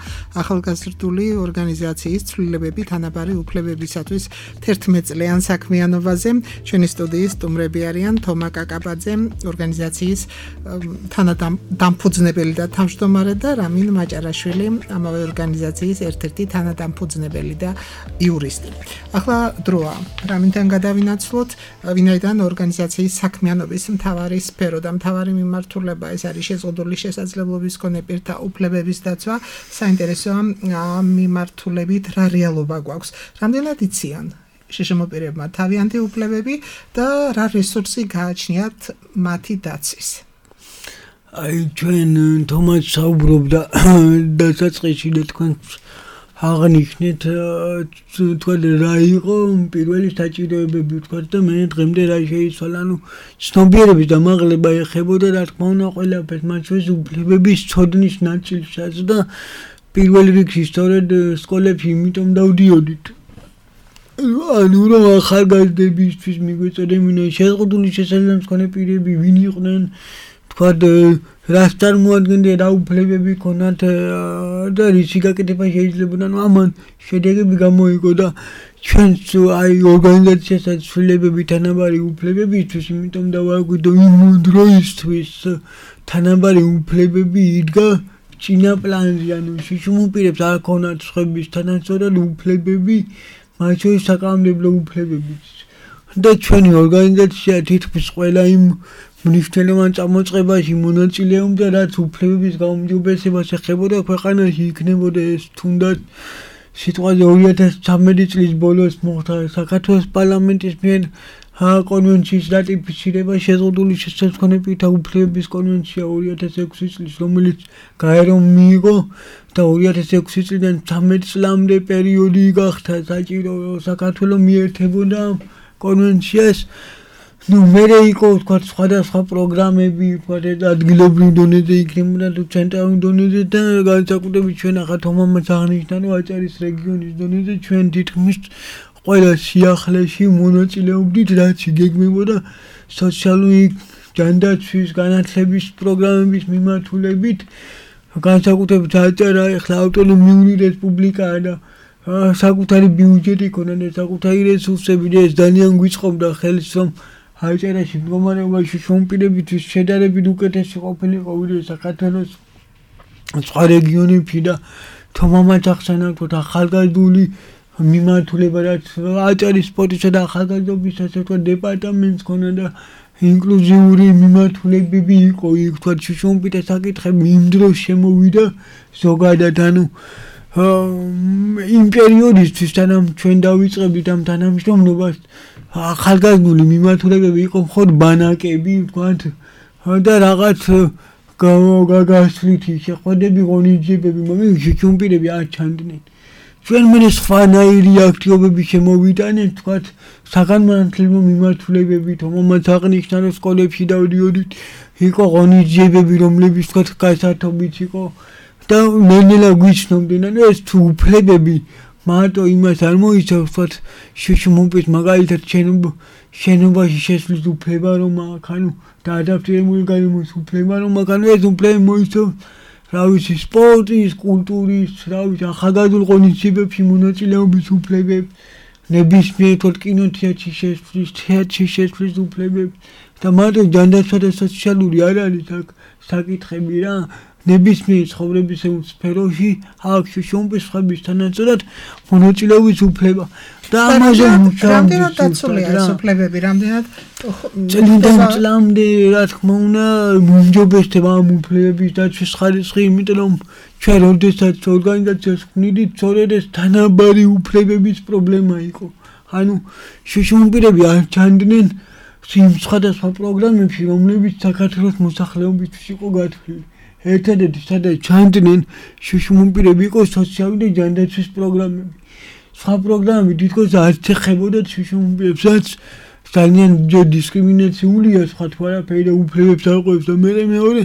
ახალგაზრდული ორგანიზაციის ცვლილებები თანაბარი უფლებებისათვის თერთმეტ წლიან საქმიანობაზე. ჩვენი სტუდიის სტუმრები არიან თომა კაკაბაძე, ორგანიზაციის თანადამფუძნებელი და თავმჯდომარე და რამინ მაჭარაშვილი, ამავე ორგანიზაციის ერთ-ერთი თანადამფუძნებელი და იურისტი. ახლა დროა რამინთან გადავინაცვლოთ, ვინაიდან ორგანიზაციის საქმიანობის მთავარი სფერო და მთავარი მიმართულება ეს არის შეზღუდული შესაძლებლობის მქონე პირთა უფლებების დაცვა. საინტერესოა ამ მიმართულებით რა რეალობა გვაქვს. რამდენად იციან შშმ პირებმა თავიანთი უფლებები და რა რესურსი გააჩნიათ მათი დაცვის. აი ჩვენ თომას საუბრობდა დასაწყისში და თქვენ აღნიშნეთ თქვა რა იყო პირველი საჭიროებები თქვა და მე დღემდე რა შეიცვალა, ანუ ცნობიერების დამაღლება ეხებოდა რა თქმა უნდა ყველაფერს, მათ შორის უფლებების ცოდნის ნაწილსაც და პირველ რიგში სწორედ სკოლებში იმიტომ დავდიოდით. ანუ რომ ახალგაზრდებისთვის მიგვეწოდებინა შეზღუდული შესაძლებლობის მქონე პირები ვინ იყვნენ, თქვა რას წარმოადგენდა რა უფლებები ქონათ და რისი გაკეთება შეიძლებოდა, ნუ ამან შედეგები გამოიგო და ჩვენც აი ორგანიზაციასაც ცვლილებები თანაბარი უფლებებისთვის, იმიტომ დავაგვიდო იმ დროისთვის თანაბარი უფლებები იდგა წინა პლანზე, ანუ შიშუმპირებს არ ქონათ სხვების თანაცოდად უფლებები, მათ შორის საკანონმდებლო უფლებებიც. და ჩვენი ორგანიზაცია თითქმის ყველა იმ მნიშვნელოვან წამოწყებაში მონაწილეობდა, რაც უფლებების გაუმჯობესებას ეხებოდა ქვეყანაში, იქნებოდა ეს თუნდაც სიტყვაზე ორი ათას ცხრამეტი წლის ბოლოს მოხდა საქართველოს პარლამენტის მიერ კონვენციის რატიფიცირება შეზღუდული შესაძლებლობებით უფლებების კონვენცია ორი ათას ექვსი წლის, რომელიც გაერო მიიღო და ორი ათას ექვსი წლიდან ცხრამეტ წლამდე პერიოდი გახდა საჭირო საქართველოს მიერთებოდა კონვენციას. ნუ მერე იყო თქვა სხვადასხვა პროგრამები, თქვა ადგილობრივ დონეზე იქნებოდა თუ ცენტრალურ დონეზე და განსაკუთრებით ჩვენ ახლა თომამაც აღნიშნა, რომ აჭარის რეგიონის დონეზე ჩვენ თითქმის ყველა სიახლეში მონაწილეობდით, რაც იგეგმებოდა სოციალური ჯანდაცვის განათლების პროგრამების მიმართულებით, განსაკუთრებით აჭარა ახლა ავტონომიური რესპუბლიკაა და საკუთარი ბიუჯეტი ქონდა და საკუთარი რესურსები და ეს ძალიან გვიწყობდა ხელს, რომ აჭარაში მდგომარეობაში შუამპირებისთვის შედარებით უკეთესი ყოფილიყო ვიდრე საქართველოს სხვა რეგიონებში და თომამაც ახსენაგდოთ ახალგაზრდული მიმართულება, რაც აჭარის სპორტისა და ახალგაზრდობის ასე ვთქვათ დეპარტამენტს ქონდა და ინკლუზიური მიმართულებები იყო, იქ თქვა შუამპირთა საკითხები იმ დროს შემოვიდა ზოგადად, ანუ იმ პერიოდისთვის თანამ ჩვენ დავიწყებდით ამ თანამშრომლობას ახალგაზრდული მიმართულებები იყო მხოლოდ ბანაკები, ვთქვათ და რაღაც გასვლითი შეხვედრები, ღონისძიებები, მაგრამ შუამპირები არ ჩანდნენ. ჩვენ მე სხვანაირი აქტივობები შემოვიტანეთ, ვთქვათ საგანმანათლებლო მიმართულებები, თომამაც აღნიშნა, რომ სკოლებში დავდიოდით, იყო ღონისძიებები, რომლებიც ვთქვათ გასართობიც იყო და ნელ-ნელა გვიცნობდნენ, რომ ეს თუ უფლებები მარტო იმას არ მოიცავს, ვთქვათ შუშუმპის მაგალითად შენობაში შესვლის უფლება რომ აქვს, ანუ და ადაპტირებული გარემოს უფლება რომ აქვს, ანუ ეს უფლება მოიცავს რა ვიცი სპორტის, კულტურის, რა ვიცი ახალგაზრდულ ღონისძიებებში მონაწილეობის უფლებებს, ნებისმიერ თორ კინოთეატრში შესვლის, თეატრში შესვლის უფლებებს და მარტო ჯანდაცვა და სოციალური არ არის აქ საკითხები რა. ნებისმიერ ცხოვრების სფეროში აქვს შუამპის სხვების თანაცოდად მონაწილეობის უფლება და ამაზე რამდენად დაცულია ეს უფლებები, რამდენად წლიდან წლამდე რა თქმა უნდა მომჯობესდება ამ უფლებების დაცვის ხარისხი, იმიტომ რომ ჩვენ როდესაც ორგანიზაციას ვნიდით, სწორედ ეს თანაბარი უფლებების პრობლემა იყო. ანუ შუამპირები არ ჩანდნენ იმ სხვადასხვა პროგრამებში, რომლებიც საქართველოს მოსახლეობისთვის იყო გათვლილი. ერთადერთი სადაც ჩანდნენ შუშუმპირები იყო სოციალური ჯანდაცვის პროგრამები. სხვა პროგრამები თითქოს არც ეხებოდათ შუშუმპირებს, რაც ძალიან დისკრიმინაციულია სხვა თუ არაფერი და უფლებებს არყოფს და მე მეორე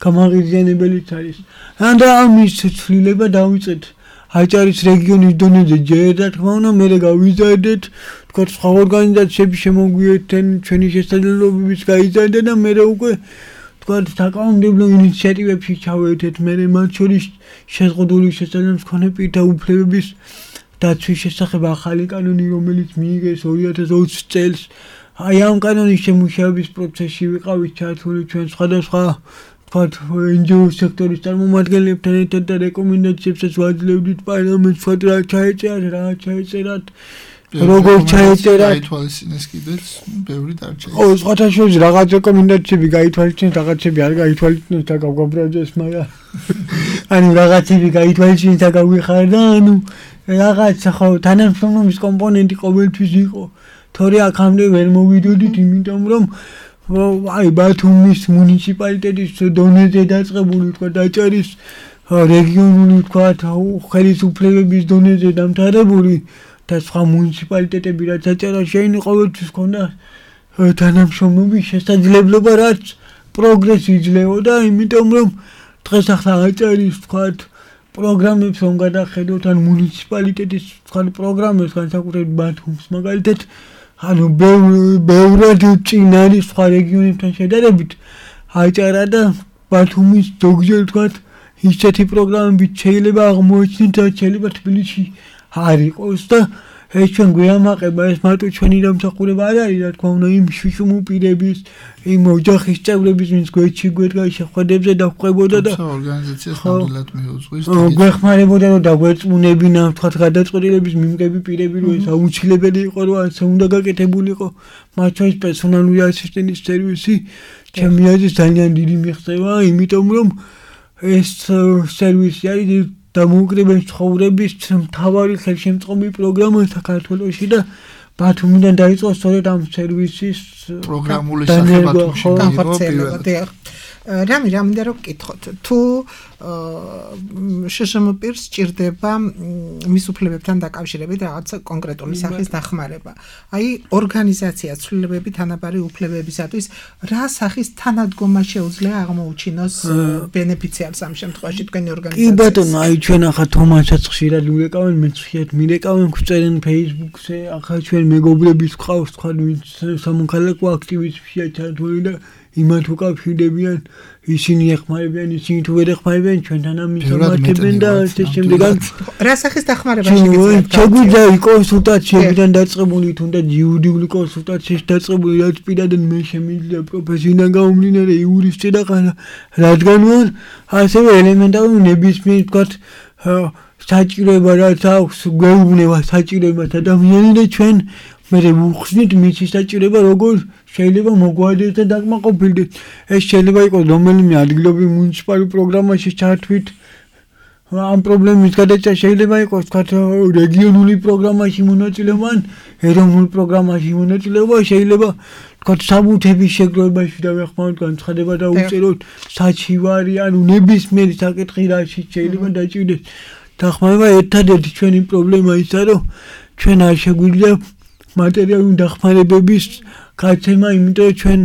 გამაღიზიანებელიც არის. და ამის ცვლილება დავიწყეთ აჭარის რეგიონის დონეზე ჯერ რა თქმა უნდა, მე გავიზარდეთ, თქვა სხვა ორგანიზაციები შემოგვიერთდნენ, ჩვენი შესაძლებლობების გაიზარდა და მე უკვე თქვა საკანონმდებლო ინიციატივებში ჩავერთეთ, მე მათ შორის შეზღუდული შესაძლებლობის მქონე პირთა უფლებების დაცვის შესახებ ახალი კანონი, რომელიც მიიღეს ორი ათას ოცი წელს. აი ამ კანონის შემუშავების პროცესში ვიყავით ჩართული ჩვენ სხვადასხვა თქვა εν ჯი ო სექტორის წარმომადგენლებთან ერთად და რეკომენდაციებსაც ვაძლევდით პარლამენტს, თქვა რა ჩაეწერათ, რა ჩაეწერათ. როგორ ჩაეწერა გაითვალისწინეს კიდეც ბევრი დარჩენილი. ო სხვათა შორის რაღაც რეკომენდაციები გაითვალისწინეს, რაღაცები არ გაითვალისწინეს და გავგაბრაძეს, მაგრამ ანუ რაღაცები გაითვალისწინეს და გავიხარდა, ანუ რაღაც ხო თანამშრომლობის კომპონენტი ყოველთვის იყო. თორე აქამდე ვერ მოვიდოდით, იმიტომ რომ აი ბათუმის მუნიციპალიტეტის დონეზე დაწყებული თქვა აჭარის რეგიონული თქვა ხელისუფლებების დონეზე დამთავრებული და სხვა მუნიციპალიტეტები რაც აჭარაში აინი ყოველთვის ქონდა თანამშრომლობის შესაძლებლობა, რაც პროგრესი იძლეოდა, იმიტომ რომ დღეს ახლა აჭარის თქვა პროგრამებს რომ გადახედოთ, ან მუნიციპალიტეტის თქვა პროგრამებს, განსაკუთრებით ბათუმს მაგალითად, ანუ ბევრად წინ არის სხვა რეგიონებთან შედარებით. აჭარა და ბათუმის ზოგჯერ თქვათ ისეთი პროგრამები შეიძლება აღმოეჩინოთ და შეიძლება თბილისში არ იყოს და ეს ჩვენ გვიამაყება ეს მარტო ჩვენი დამსახურება არ არის რა თქმა უნდა იმ შუშუმ პირების იმ ოჯახის წევრების ვინც გვერდში გვერდ შეხვედრებზე დახვდებოდა და ორგანიზაციას ნამდვილად მიუძღვის გვეხმარებოდა რომ დაგვერწმუნებინა თქვათ გადაწყვეტილების მიმღები პირები რომ ეს აუცილებელი იყო რომ ასე უნდა გაკეთებულიყო მათ შორის პერსონალური ასისტენტის სერვისი ჩემი აზრით ძალიან დიდი მიღწევა იმიტომ რომ ეს სერვისი არის დამოუკიდებელი ცხოვრების მთავარი ხელშემწყობი პროგრამა საქართველოში და ბათუმიდან დაიწყო სწორედ ამ სერვისის პროგრამული სახებათუმში განხორციელება. რამი რამინდა რომ გკითხოთ თუ შშმ პირს ჭირდება მის უფლებებთან დაკავშირებით რაღაც კონკრეტული სახის დახმარება. აი ორგანიზაცია ცვლილებები თანაბარი უფლებებისათვის რა სახის თანადგომა შეუძლია აღმოუჩინოს ბენეფიციარს ამ შემთხვევაში თქვენი ორგანიზაცია? კი ბატონო, აი ჩვენ ახლა თომასაც ხშირად ვიყავენ, მეც ხშირად მირეკავენ, გვწერენ Facebook-ზე, ახლა ჩვენ მეგობრების ყავს თქვა ვინც სამოქალაქო აქტივისტებია ჩართული და იმათ უკავშირდებიან ისინი ეხმარებიან ისინი თუ ვერ ეხმარებიან ჩვენთან ამისამართებენ და ასე შემდეგ რა სახის დახმარება შეგიძლიათ შეგვიძლია კონსულტაციებიდან დაწყებული თუნდაც იურიდიული კონსულტაციის დაწყებული რაც პირადად მე შემიძლია პროფესიიდან გამომდინარე იურისტი და რადგან ვარ ასევე ელემენტარული ნებისმიერ თქვათ საჭიროება რაც აქვს გვეუბნება საჭიროებას ადამიანი და ჩვენ მე ვუხსნით მისი საჭიროება როგორ შეიძლება მოგვარდეს და დაკმაყოფილდეს ეს შეიძლება იყოს რომელიმე ადგილობრივ მუნიციპალურ პროგრამაში ჩართვით ამ პრობლემის გადაწყვეტა შეიძლება იყოს თქვათ რეგიონული პროგრამაში მონაწილეობა ან ეროვნულ პროგრამაში მონაწილეობა შეიძლება თქვათ საბუთების შეგროვებაში და ვეხმაროთ განცხადება და უწეროთ საჩივარი ანუ ნებისმიერი საკითხი რაში შეიძლება დაჭირდეს დახმარება ერთადერთი ჩვენი პრობლემა ისაა რომ ჩვენ არ შეგვიძლია მატერიალური დახმარებების გაცემა, იმიტომ რომ ჩვენ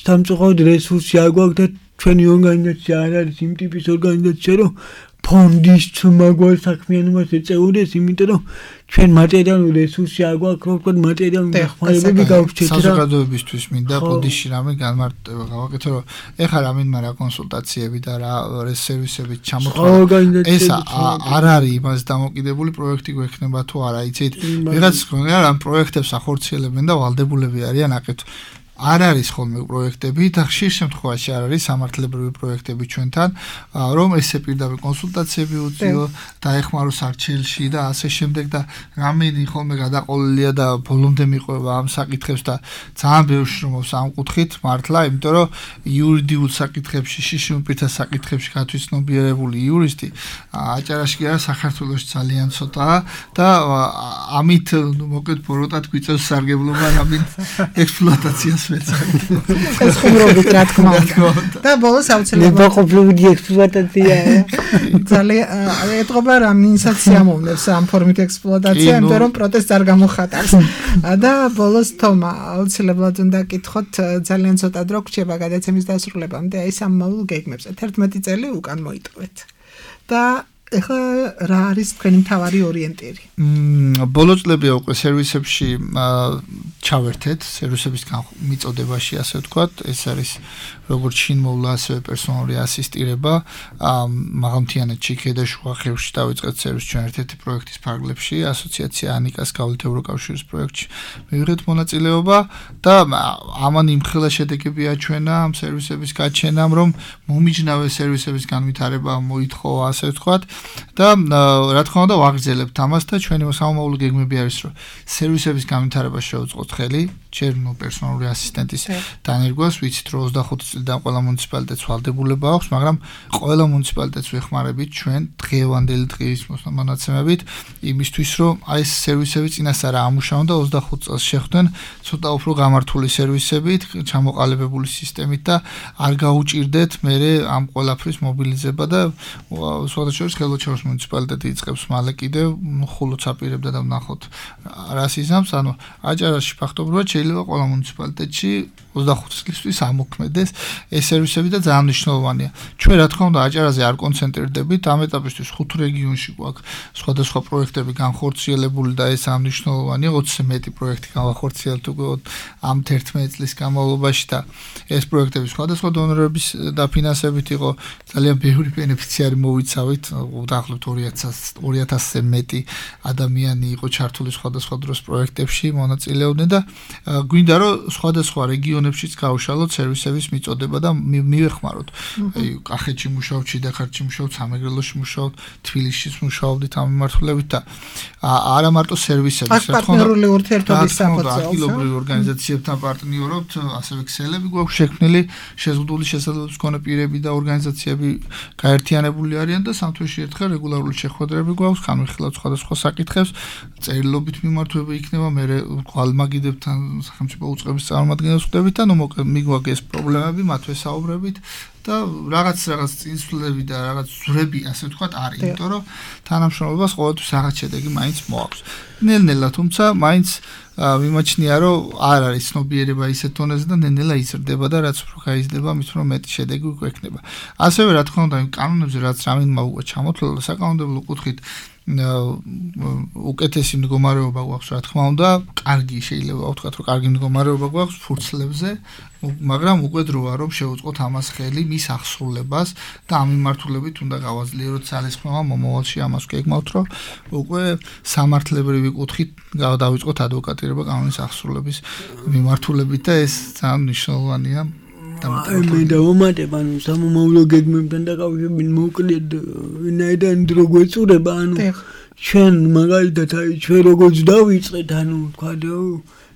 სამწუხაროდ რესურსი არ გვაქვს და ჩვენი ორგანიზაცია არ არის იმ ტიპის ორგანიზაცია, რომ ფონდის მაგარ საქმიანობას ეწეოდეს, იმიტომ რომ ჩვენ მატერიალური რესურსი არ გვაქვს, რომ ვთქვათ მატერიალური დახმარებები გავჩეთ რა. საზოგადოებისთვის მინდა ფონდში რამე განმარტება გავაკეთო, რომ ეხლა რამინდა რა კონსულტაციები და რა სერვისები ჩამოთვალე. ეს არ არის იმას დამოკიდებული პროექტი გვექნება თუ არა, იცით? ვიღაც ხონია რამ პროექტებს ახორციელებენ და ვალდებულები არიან აკეთო. არ არის ხოლმე პროექტები და ხშირ შემთხვევაში არ არის სამართლებრივი პროექტები ჩვენთან, რომ ესე პირდაპირ კონსულტაციები უწიო და ეხმაროს არჩეულში და ასე შემდეგ და რამენი ხოლმე გადაყოლილია და ბოლომდე მიყვება ამ საკითხებს და ძალიან ბევრ შრომობს ამ კუთხით მართლა, იმიტომ რომ იურიდიულ საკითხებში, შიშუმპირთა საკითხებში გათვითცნობიერებული იურისტი აჭარაში კი არა საქართველოში ძალიან ცოტაა და ამით მოკლედ ბოროტად გვიწევს სარგებლობა რამინ ექსპლუატაციას ეს ხუმრობით რა თქმა უნდა და ბოლოს აუცილებლად ნებაყოფლობითი ექსპლუატაცია ძალიან ეტყობა რამინსაც ამოვნებს ამ ფორმით ექსპლუატაცია იმიტომ რომ პროტესტს არ გამოხატავს და ბოლოს თომა აუცილებლად უნდა გკითხოთ ძალიან ცოტა დრო გრჩება გადაცემის დასრულებამდე აი სამმავალ გეგმებზე თერთმეტი წელი უკან მოიტოვეთ და ეხლა რა არის თქვენი მთავარი ორიენტირი? მმ ბოლო წლებია უკვე სერვისებში ჩავერთეთ, სერვისების მიწოდებაში ასე ვთქვათ, ეს არის როგორც შინმოვლა, ასევე პერსონალური ასისტირება, მაღალმთიანეთ ჩიქე და შუა ხევში დავიწყეთ სერვისს ჩვენ ერთ-ერთი პროექტის ფარგლებში, ასოციაცია ანიკას გავლით ევროკავშირის პროექტში მივიღეთ მონაწილეობა და ამან იმხელა შედეგებია ჩვენა ამ სერვისების გაჩენამ, რომ მომიჯნავე სერვისების განვითარება მოითხოვა, ასე ვთქვათ. და რა თქმა უნდა ვაგრძელებთ ამას და ჩვენი სამომავლო გეგმები არის რომ სერვისების განვითარებას შევუწყოთ ხელი ჯერ ნუ პერსონალური ასისტენტის დანერგვას ვიცით რომ ოცდახუთი წლიდან ყველა მუნიციპალიტეტს ვალდებულება აქვს მაგრამ ყველა მუნიციპალიტეტს ვეხმარებით ჩვენ დღევანდელი დღის მონაცემებით იმისთვის რომ აი ეს სერვისები წინასწარ ამუშავონ და ოცდახუთ წელს შეხვდნენ ცოტა უფრო გამართული სერვისებით ჩამოყალიბებული სისტემით და არ გაუჭირდეთ მე ამ ყველაფრის მობილიზება და სხვადასხვა ხელოჩაურის მუნიციპალიტეტი იწყებს მალე კიდევ ხულოც აპირებდა და ვნახოთ რას იზამს ანუ აჭარაში ფაქტობრივად შეიძლება ყველა მუნიციპალიტეტში ოცდახუთი წლისთვის ამოქმედეს ეს სერვისები და ძალიან მნიშვნელოვანია. ჩვენ რა თქმა უნდა აჭარაზე არ კონცენტრირდებით, ამ ეტაპისთვის ხუთ რეგიონში გვაქვს სხვადასხვა პროექტები განხორციელებული და ეს ძალიან მნიშვნელოვანია. ოცზე მეტი პროექტი განხორციელდა უკვე ამ თერთმეტი წლის განმავლობაში და ეს პროექტები სხვადასხვა დონორების დაფინანსებით იყო. ძალიან ბევრი ბენეფიციარი მოვიცავით, დაახლოებით ორი ათასზე მეტი ადამიანი იყო ჩართული სხვადასხვა დროს პროექტებში, მონაწილეობდნენ და გვინდა რომ სხვადასხვა რეგიონებშიც გავუშალოთ სერვისების მიწოდება და მივეხმაროთ. აი, კახეთში მუშაობთ, შიდაქართში მუშაობთ, სამეგრელოში მუშაობთ, თბილისშიც მუშაობდით ამ მიმართულებით და არა მარტო სერვისების, რა თქმა უნდა, პარტნიორული ურთიერთობის საფუძველზე ადგილობრივ ორგანიზაციებთან პარტნიორობთ, ასევე ქსელები გვაქვს შექმნილი, შეზღუდული შესაძლებლობის მქონე პირები და ორგანიზაციები გაერთიანებული არიან და სამთვეში ერთხელ რეგულარული შეხვედრები გვაქვს, განვიხილავთ სხვადასხვა საკითხებს, წერილობით მიმართვება იქნება, მე გვალმაგიდებთან სახელმწიფო უწყების წარმომადგენლებს ხვდებით და ნუ მიგვაგეს პრობლემები, მათ ვესაუბრებით და რაღაც რაღაც წინსვლები და რაღაც ზრები, ასე ვთქვათ, არის, იმიტომ რომ თანამშრომლობას ყოველთვის რაღაც შედეგი მაინც მოაქვს. ნელ-ნელა თუმცა მაინც მიმაჩნია, რომ არ არის ცნობიერება ისეთ დონეზე და ნელ-ნელა იზრდება და რაც უფრო გაიზრდება, მით უფრო მეტი შედეგი გვექნება. ასევე რა თქმა უნდა, იმ კანონებზე რაც რამინდმა უკვე ჩამოთვალა საკანონმდებლო კუთხით უკეთესი მდგომარეობა გვაქვს, რა თქმა უნდა, კარგი შეიძლება ვთქვათ, რომ კარგი მდგომარეობა გვაქვს ფურცლებზე, მაგრამ უკვე დროა რომ შევუწყოთ ამას ხელი მის აღსრულებას და ამ მიმართულებით უნდა გავაძლიეროთ ძალისხმევა მომავალში ამას გეგმავთ, რომ უკვე სამართლებრივი კუთხით დავიწყოთ ადვოკატირება კანონის აღსრულების მიმართულებით და ეს ძალიან მნიშვნელოვანია. მე დავამატებ, ანუ სამომავლო გეგმებთან დაკავშირებით მოკლედ ვინაიდან დრო გვეწურება, ანუ ჩვენ მაგალითად აი ჩვენ როგორც დავიწყეთ, ანუ თქვა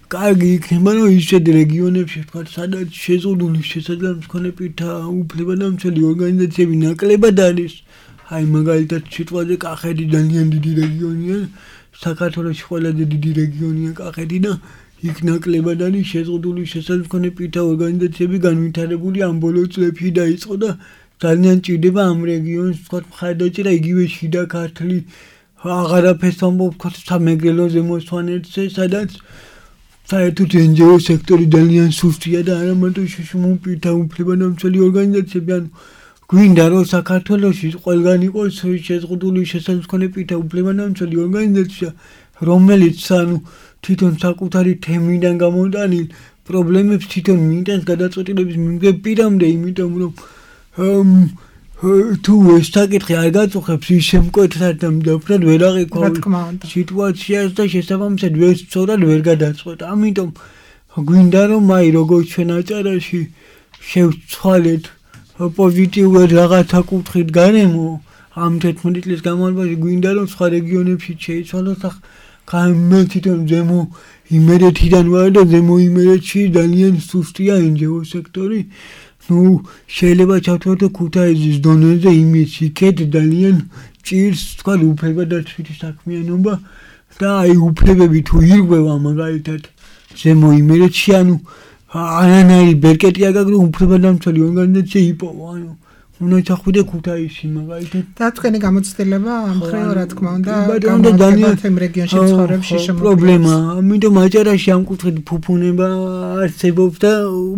კარგი იქნება, რომ ისეთ რეგიონებში თქვა სადაც შეზღუდული შესაძლებლობის მქონე პირთა უფლებადამცველი ორგანიზაციები ნაკლებად არის, აი მაგალითად სიტყვაზე კახეთი ძალიან დიდი რეგიონია, საქართველოში ყველაზე დიდი რეგიონია კახეთი და იქ ნაკლებად არის შეზღუდული შესაძლებლობის მქონე პირთა ორგანიზაციები განვითარებული ამ ბოლო წლებში დაიწყო და ძალიან ჭირდება ამ რეგიონს თქვა მხარდაჭერა იგივე შიდა ქართლი აღარაფერს ამბობ თქვა სამეგრელო ზემოსვანეთზე, სადაც საერთოდ ენჯიო სექტორი ძალიან სუსტია და არა მარტო შშმ პირთა უფლებადამცველი ორგანიზაციები, ანუ გვინდა რომ საქართველოში ყველგან იყოს შეზღუდული შესაძლებლობის მქონე პირთა უფლებადამცველი ორგანიზაცია, რომელიც ანუ თვითონ საკუთარი თემიდან გამოტანილ პრობლემებს თვითონ მიიტანს გადაწყვეტილების მიღებამდე, იმიტომ რომ თუ ეს საკითხი არ გაწუხებს ის შემკვეთრად და მდაფრად ვერ აღიქვამს სიტუაციას და შესაბამისად ვერ სწორად ვერ გადაწყვეტ. ამიტომ გვინდა რომ აი როგორც ჩვენ აჭარაში შევცვალეთ პოზიტიურად რაღაცა კუთხით გარემო ამ თერთმეტი წლის განმავლობაში, გვინდა რომ სხვა რეგიონებში შეიცვალოს და მე თვითონ ზემო იმერეთიდან ვარ და ზემო იმერეთში ძალიან სუსტია ენჯიო სექტორი. ნუ შეიძლება ჩავთვალოთ ქუთაისის დონეზე იმის იქეთ ძალიან ჭირს თქვა უფლებადაცვითი საქმიანობა და აი უფლებები თუ ირღვევა მაგალითად ზემო იმერეთში, ანუ არანაირი ბერკეტი არ გაქვს, რომ უფლებადამცველი ორგანიზაცია იპოვა, ანუ უნდა ჩახვიდე ქუთაისში მაგალითად და თქვენი გამოცდილება ამ მხრივ რა თქმა უნდა გამოდანილ თემ რეგიონში ცხოვრებში შემოგვიყვება პრობლემა, ამიტომ აჭარაში ამ კუთხით ფუფუნება არსებობს და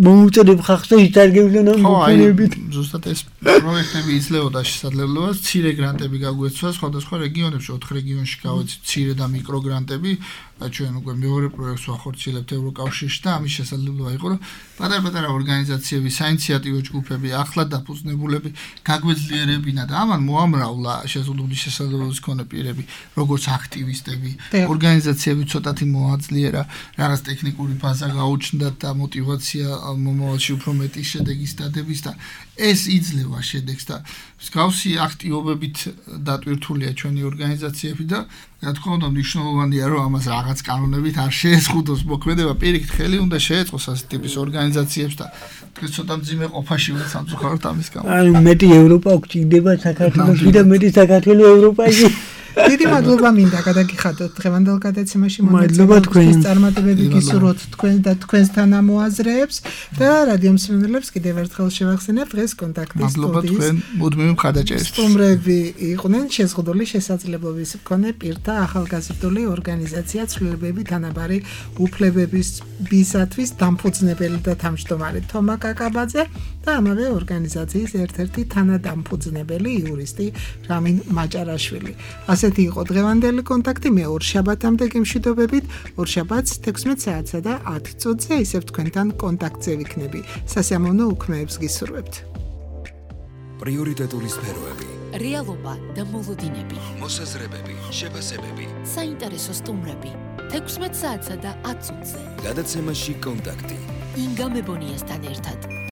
მოუწოდებ ხალხს და იტარგებდნენ ამ ფუფუნებით. ზუსტად ეს პროექტები იძლეოდა შესაძლებლობას, მცირე გრანტები გაგვეცვა სხვადასხვა რეგიონებში, ოთხ რეგიონში გავეცით მცირე და მიკრო გრანტები. ჩვენ უკვე მეორე პროექტს ვახორციელებთ ევროკავშირში და ამის შესაძლებლობა იყო, რომ პატარ-პატარა ორგანიზაციები, საინიციატივო ჯგუფები, ახლად დაფუძნებულები გაგვეძლიერებინა და ამან მოამრავლა შეზღუდული შესაძლებლობის მქონე პირები, როგორც აქტივისტები, ორგანიზაციები ცოტათი მოაძლიერა, რაღაც ტექნიკური ბაზა გაუჩნდათ და მოტივაცია მომავალში უფრო მეტი შედეგის დადების და ეს იძლევა შედეგს და მსგავსი აქტივობებით დატვირთულია ჩვენი ორგანიზაციები და რა თქმა უნდა მნიშვნელოვანია რომ ამას რაღაც კანონებით არ შეეზღუდოს მოქმედება, პირიქით ხელი უნდა შეეწყოს ასეთი ტიპის ორგანიზაციებს და დღეს ცოტა მძიმე ყოფაში ვართ სამწუხაროდ ამის გამო. აი მეტი ევროპა გვჭირდება საქართველოში და მეტი საქართველო ევროპაში დიდი მადლობა მინდა გადაგიხადოთ დღევანდელ გადაცემაში მადლობა თქვენ წარმატებები გისურვოთ თქვენ და თქვენს თანამოაზრეებს და რადიო მსმენელებს კიდევ ერთხელ შევახსენებ დღეს კონტაქტის მადლობა თქვენ მუდმივი მხარდაჭერისთვის სტუმრები იყვნენ შეზღუდული შესაძლებლობის მქონე პირთა ახალგაზრდული ორგანიზაცია ცვლილებები თანაბარი უფლებების ბისათვის დამფუძნებელი და თავმჯდომარე თომა კაკაბაძე და ამავე ორგანიზაციის ერთ-ერთი თანადამფუძნებელი იურისტი რამინ მაჭარაშვილი. ასეთი იყო დღევანდელი კონტაქტი. მე ორ შაბათამდე გიმშვიდობებით. ორ შაბათს თექვსმეტ საათსა და ათი წუთზე ისევ თქვენთან კონტაქტზე ვიქნები. სასიამოვნო უქმეებს გისურვებთ. პრიორიტეტული სფეროები, რეალობა და მოლოდინები, მოსაზრებები, შეფასებები, საინტერესო სტუმრები. თექვსმეტ საათსა და ათ წუთზე. გადაცემაში კონტაქტი. ინგა მებონიასთან ერთად.